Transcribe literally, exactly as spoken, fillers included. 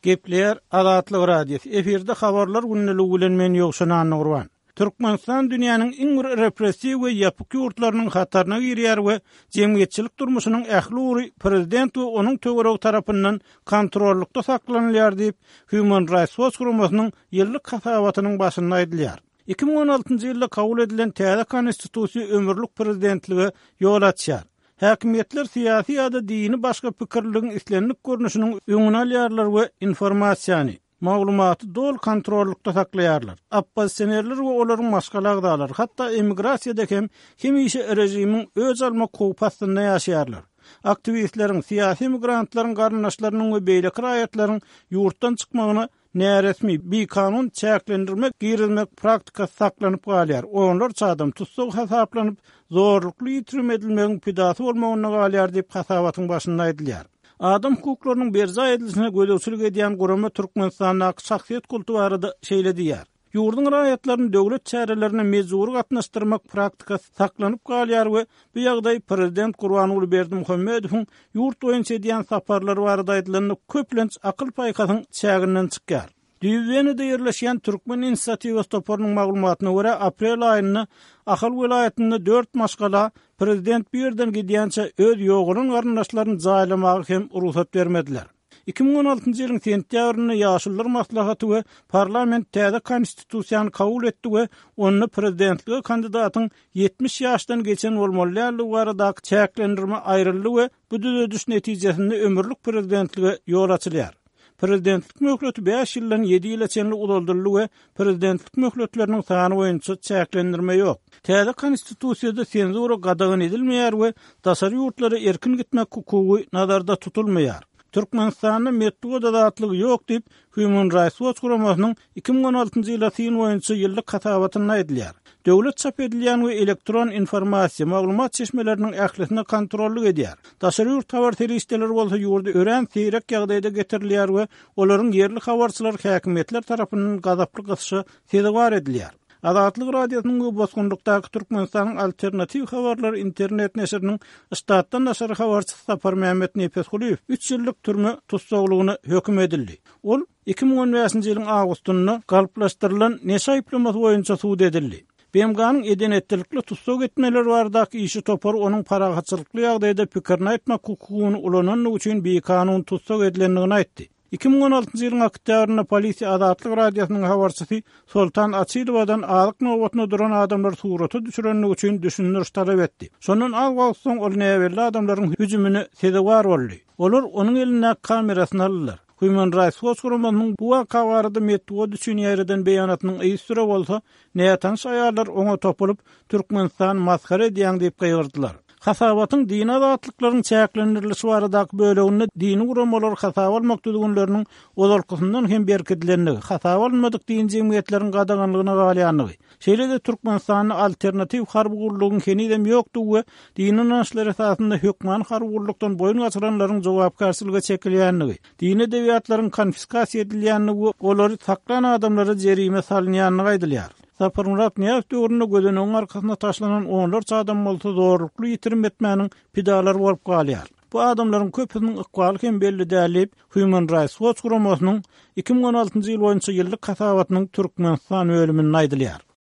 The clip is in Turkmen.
Gepleýär Azatlyk Radiosy. Efirde habarlar gündeligi bilen men Ýowşan Annagurban. Türkmenistan dünýäniň iň bir repressiw we ýapyk ýurtlarynyň hataryna girýär we jemgyýetçilik durmuşynyň ähli ugry prezident we onuň töweregi tarapyndan kontrollykda saklanylýar diýip, Human Rights Watch guramasynyň ýyllyk hasabatynyň başynda aýdylýar. Iki müň on altynjy ýylda kabul edilen täze konstitusiýa ömürlik prezidentlige ýol açýar. Häkimiýetler syýasy ýa-da dini başga pikirliligiň islendik görnüşiniň öňüni alýarlar we informasiýany, maglumaty doly kontrollykda saklaýarlar. Oppozisionerler we olaryň maşgala agzalary, hatda emigrasiýada hem hemişe režimiň öç almak howpy astynda ýaşaýarlar. Aktiwistleriň, syýasy emigrantlaryň garyndaşlarynyň we beýleki raýatlaryň ýurtdan çykmagyna näresmi, bikanun çäklendirme girizmek praktikasy saklanyp galýar. Onlarça adam tussag hasaplanyp, zorlukly ýitirim edilmegiň pidasy bolmagynda galýar diýip hasabatyň başynda aýdylýar. Adam hukuklarynyň berjaý edilişine gözegçilik edýän gurama Türkmenistandaky şahsyýet kulty barada şeýle diýýär. Ýurduň raýatlaryny döwlet çärelerine mejbury gatnaşdyrmak praktikasy saklanyp galýar we bu ýagdaý prezident Gurbanguly Berdimuhamedowyň ýurt boýunça edýän saparlary barada aýdylanda köplenç akyl-paýhasyň çäginden çykýar. Düýbi Wenada ýerleşýän Türkmen inisiatiwasy toparynyň maglumatyna görä, aprel aýynda Ahal welaýatynda dört maşgala prezident bu ýerden gidýänçä öz ýogalan garyndaşlaryny jaýlamaga hem rugsat bermediler. Iki müň on altynjy ýylyň sentýabrynda Ýaşulular maslahaty we parlament täze konstitusiýany kabul etdi we onda prezidentlige kandidatyň ýetmiş ýaşdan geçen bolmaly däldigi baradaky çäklendirme aýryldy we bu düzediş netijesinde ömürlik prezidentlige ýol açylýar. Prezidentlik möhleti bäş ýyldan ýedi ýyla çenli uzaldyldy we prezidentlik möhletleriniň sany boýunça çäklendirme ýok. Täze konstitusiýada senzura gadagan edilmeýär we daşary ýurtlara erkin gitmek hukugy nazarda tutulmaýar. Türkmenistanda metbugat azatlygy ýok diýip, Human Rights Watch guramasynyň iki müň on altynjy ýyla syn boýunça ýyllyk hasabatynda aýdylýar. Döwlet çap edilýän we elektron informasiýa, maglumat çeşmeleriniň ählisine kontrollyk edýär. Daşary ýurt habar serişdeleri bolsa ýurda örän seýrek ýagdaýda getirilýär we olaryň ýerli habarçylar häkimiýetler tarapyndan gazaply gysyşa sezewar edilýär. Azatlyk Radiosynyň we bosgunlykdaky Türkmenistanyň alternatiw habarlary internet neşiriniň ştatdan daşary habarçysy Saparmämmet Nepesgulyýew üç ýyllyk türme tussaglygyna höküm edildi. Ol iki müň on bäşinji ýylyň awgustynda galplaşdyrylan neşe aýyplamasy boýunça sud edildi. B M G-nyň eden-etdilikli tussag etmeleri baradaky işi topary onuň parahatçylykly ýagdaýda pikirini aýtmak hukugyny ulanandygy üçin bikanun tussag edilendigini aýtdy. Iki müň on altynjy ýylyň oktýabrynda polisiýa Azatlyk Radiosynyň habarçysy Soltan Açylowadan azyk nobatyna duran adamlar surata düşürenligi üçin düşündiriş talap etdi. Şondan az wagt soň ol näbelli adamlaryň hüjümine sezewar boldy. Olar onuň elindäki kamerasyny aldylar. Human Rights Watch guramasynyň bu waka barada metbugat üçin ýaýradan beýanatynyň yzysüre bolsa, nätanyş aýallar oňa topulyp, Türkmenistan masgara edýäň diýip gygyrdylar. Hasabatyň dini azatlyklaryň çäklendirilişi baradaky böleginde dini guramalar hasaba almak düzgünleriniň ozalkysyndan hem berkidilendigi, hasaba alynmadyk dini jemgyýetleriň gadaganlygyna galýandygy, şeýle-de Türkmenistanda alternatiw harby gullugyň henizem ýokdugy we dini ynançlar esasynda hökman harby gullukdan boýun gaçyranlaryň jogapkärçilige çekilýändigi, dini edebiýatlaryň konfiskasiýa edilýändigi we olary saklan adamlara jerime salynýandygy aýdylýar. Saparmyrat Nyýazow döwründe gözenegiň arkasyna taşlanan onlarça adam bolsa zorlukly ýitirim etmäniň pidalary bolup galýar. Bu adamlaryň köpüsiniň ykbaly hem belli däl diýip, Human Rights Watch guramasynyň iki müň on altynjy ýyl boýunça ýyllyk hasabatynyň Türkmenistan bölüminde aýdylýar.